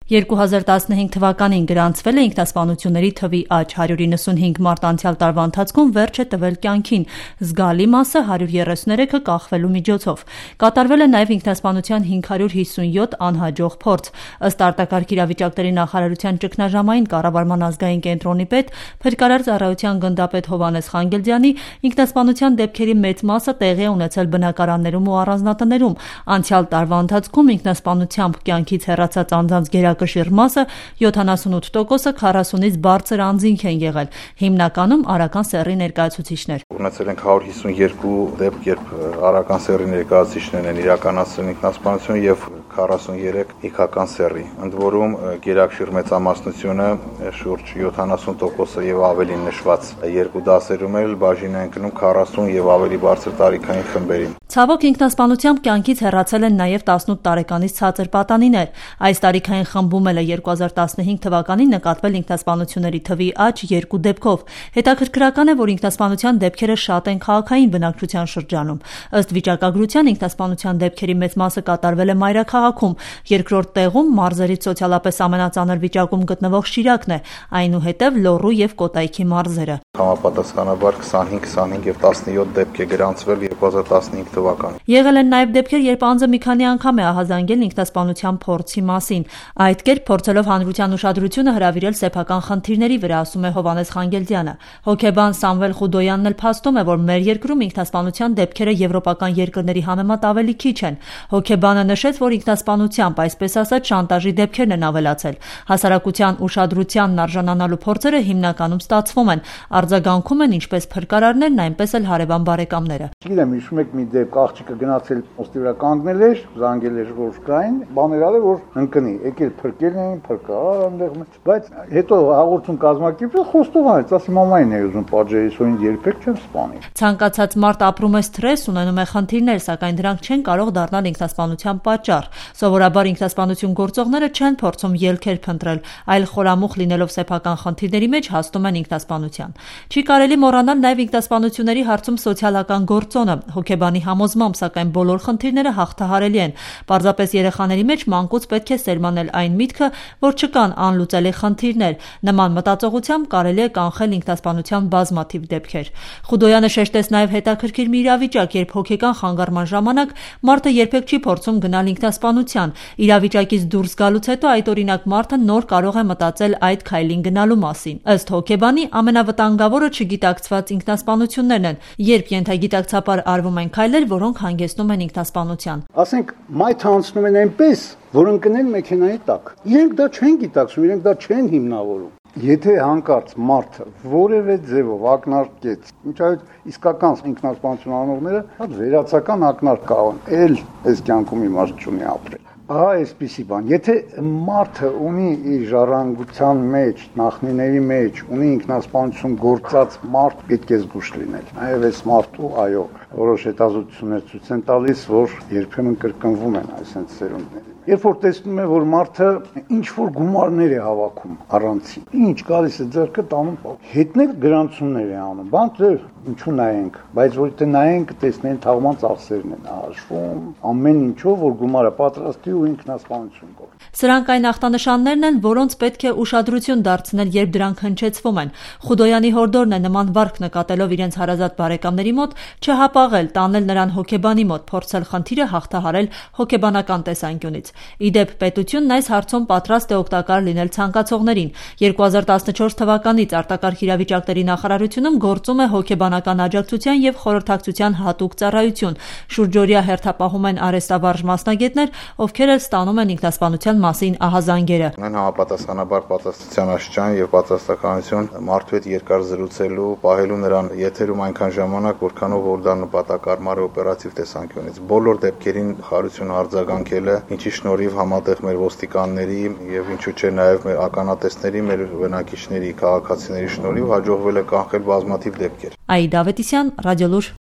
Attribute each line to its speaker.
Speaker 1: 2015 թվականին գրանցվել է ինքնասպանությունների թվի աճ, 195 մարդ անցյալ տարվա ընթացքում վերջ է տվել կյանքին, զգալի մասը 133-ը կախվելու միջոցով։ Կատարվել է նաև ինքնասպանության 557 անհաջող փորձ։ Ըստ արտակարգ իրավիճակների նախարարության ճգնաժամային կառավարման ազգային կենտրոնի պետ, Փրկարար ծառայության գնդապետ Հովհաննես Խանգելդյանի, ինքնասպանության դեպքերի մեծ մասը տեղի է ունեցել բնակարաններում ու առանձնատներում։ Անցյալ տարվա ընթացքում ինքնասպանությամբ կյանքից հեռացած անձանց գերակշիռ մասը 78%-ը 40-ից բարձր անձինք են եղել, հիմնականում արական սեռի ներկայացուցիչներ։
Speaker 2: Ունեցել ենք 152 դեպք, երբ արական սեռի ներկայացուցիչներն են իրականացրել ինքնասպանություն եւ 43 իգական սեռի։ Ընդ որում գերակշիռ մեծամասնությունը շուրջ 70%-ը եւ ավելին նշված երկու դասերում էլ բաժին են կնում 40 եւ ավելի բարձր տարիքային խմբերին։
Speaker 1: Ցավոք ինքնասպանությամբ կյանքից հեռացել են նաև 18 տարեկանից ցածր պատանիներ։ Այս տարիքային խմբում էլ է 2015 թվականին նկատվել ինքնասպանությունների թվի աճ 2 դեպքով։ Հետաքրքրական է, որ ինքնասպանության դեպքերը շատ են քաղաքային բնակչության շրջանում։ Ըստ վիճակագրության ինքնասպանության դեպքերի մեծ մասը կատարվել է մայրաքաղաքում, երկրորդ տեղում մարզերից սոցիալապես ամենածանր վիճակում գտնվող Շիրակն է, այնուհետև Լոռու եւ Կոտայքի մարզերը։
Speaker 2: Համապատասխանաբար 25, 25 եւ 17 դեպք է գրանցվել 2015 թվականին։
Speaker 1: Եղել են նաև դեպքեր, երբ անձը մի քանի անգամ է ահազանգել ինքնասպանության փորձի մասին։ Այդ կերպ փորձելով հանրության ուշադրությունը հրավիրել սեփական խնդիրների վրա, ասում է Հովհաննես Խանգելդյանը։ Հոգեբան Սամվել Խուդոյանն էլ փաստում է, որ մեր երկրում ինքնասպանության դեպքերը եվրոպական երկրների համեմատ ավելի քիչ են։ Հոգեբանը նշեց, որ ինքնասպանությամբ, այսպես ասած, շանտաժի դեպքերն են ավելացել։ Հասարակության ուշադրությանն արժանանալու փորձերը հիմնականում ստացվում են։ Արձագանքում են ինչպես փրկարարներն, այնպես էլ հարևան բարեկամները։
Speaker 3: Գիտեմ, հիշում եք մի դեպք, աղջիկը գնացել ոստի վրա կանգնել էր, զանգել էր որ կային, բաներ արել որ ընկնի, եկել փրկել էին, փրկարար այնտեղ, բայց հետո հաղորդում կազմակերպել խոստովանեց, ասի մամային է ուզում պատժել, սոին երբեք չեմ սպանի։
Speaker 1: Ցանկացած մարդ ապրում է սթրես, ունենում է խնդիրներ, սակայն դրանք չեն կարող դառնալ ինքնասպանության պատճառ։ Սովորաբար ինքնասպանություն գործողները չեն փորձում ելքեր փնտրել, այլ խորամուխ լինելով սեփական խնդիրների մեջ հասնում են ինքնասպանության։ Չի կարելի մոռանալ նաև ինքնասպանությունների հարցում սոցիալական գործոնը։ Հոգեբանի համոզմամբ, սակայն բոլոր խնդիրները հաղթահարելի են։ Պարզապես երեխաների մեջ մանկուց պետք է սերմանել այն միտքը, որ չկան անլուծելի խնդիրներ։ Նման մտածողությամբ կարելի է կանխել ինքնասպանության բազմաթիվ դեպքեր։ Խուդոյանը շեշտեց նաև հետաքրքիր մի իրավիճակ, երբ հոգեկան խանգարման ժամանակ մարդը երբեք չի փորձում գնալ ինքնասպանության։ Իրավիճակից դուրս գալուց հետո այդ օրինակ մարդը նոր կարող է մտածել այդ քայլին գնալու մասին։ Ըստ հոգեբանի ամենավտանգավորը չգիտակցված ինքնասպանություններն են, երբ ենթագիտակցաբար արվում են քայլեր, որոնք հանգեցնում են ինքնասպանության։
Speaker 3: Ասենք մայթը անցնում են այնպես, որ ընկնել մեքենայի տակ։ Իրենք դա չեն գիտակցում, իրենք դա չեն հիմնավորում։ Եթե հանկարծ մարդը որևէ ձևով ակնարկեց, ինչայդ իսկական ինքնասպանություն անողները հատ վերացական ակնարկ կան, այս կյանքում իմաստ չունի ապրել։ Ահա այսպիսի բան։ Եթե մարդը ունի իր ժառանգության մեջ, նախնիների մեջ, ունի ինքնասպանություն գործած մարդ, պետք է զգուշ լինել։ Նաև այս մարդու, այո, որոշ հետազոտություններ ցույց են տալիս, որ երբեմն կրկնվում են այսպես սերունդները։ Երբ որ տեսնում է, որ մարդը ինչ որ գումարներ է հավաքում առանցին, ինչ գալիս է ձեռքը տանում, հետներ գրանցումներ է անում, բան թե ինչու նայենք, բայց որ թե նայենք, տեսնեն թաղման ծախսերն են հաշվում, ամեն ինչով որ գումարը պատրաստի ու ինքնասպանություն կողմ։
Speaker 1: Սրանք այն ախտանշաններն են, որոնց պետք է ուշադրություն դարձնել, երբ դրանք հնչեցվում են։ Խուդոյանի հորդորն է նման վարք նկատելով իրենց հարազատ բարեկամների մոտ չհապաղել, տանել նրան հոգեբանի մոտ, փորձել խնդիրը հաղթահարել հոգեբանական տեսանկյունից։ Իդեպ պետությունն այս հարցում պատրաստ է օգտակար լինել ցանկացողներին։ 2014 թվականից արտակարգ իրավիճակների նախարարությունում գործում է հոգեբանական աջակցության եւ խորհրդակցության հատուկ ծառայություն։ Շուրջօրյա հերթապահում են արհեստավարժ մասնագետներ, ովքեր էլ ստանում են ինքնասպանության մասին ահազանգերը։
Speaker 2: Ունեն համապատասխանաբար պատասխանատվության աշճան եւ պատասխանատվություն մարդու հետ երկար զրուցելու, պահելու նրան եթերում այնքան ժամանակ, որքանով որ դա նպատակարար օպերատիվ տեսանկյունից։ Բոլոր դեպքերին խարություն արձագանքել է, ինչի շնորհիվ համատեղ մեր ոստիկանների եւ ինչու՞ չէ նաեւ մեր ականատեսների, մեր բնակիչների, քաղաքացիների շնորհիվ հաջողվել է կանխել բազմաթիվ դեպքեր։
Speaker 1: Աիդա Ավետիսյան, Ռադիոլուր։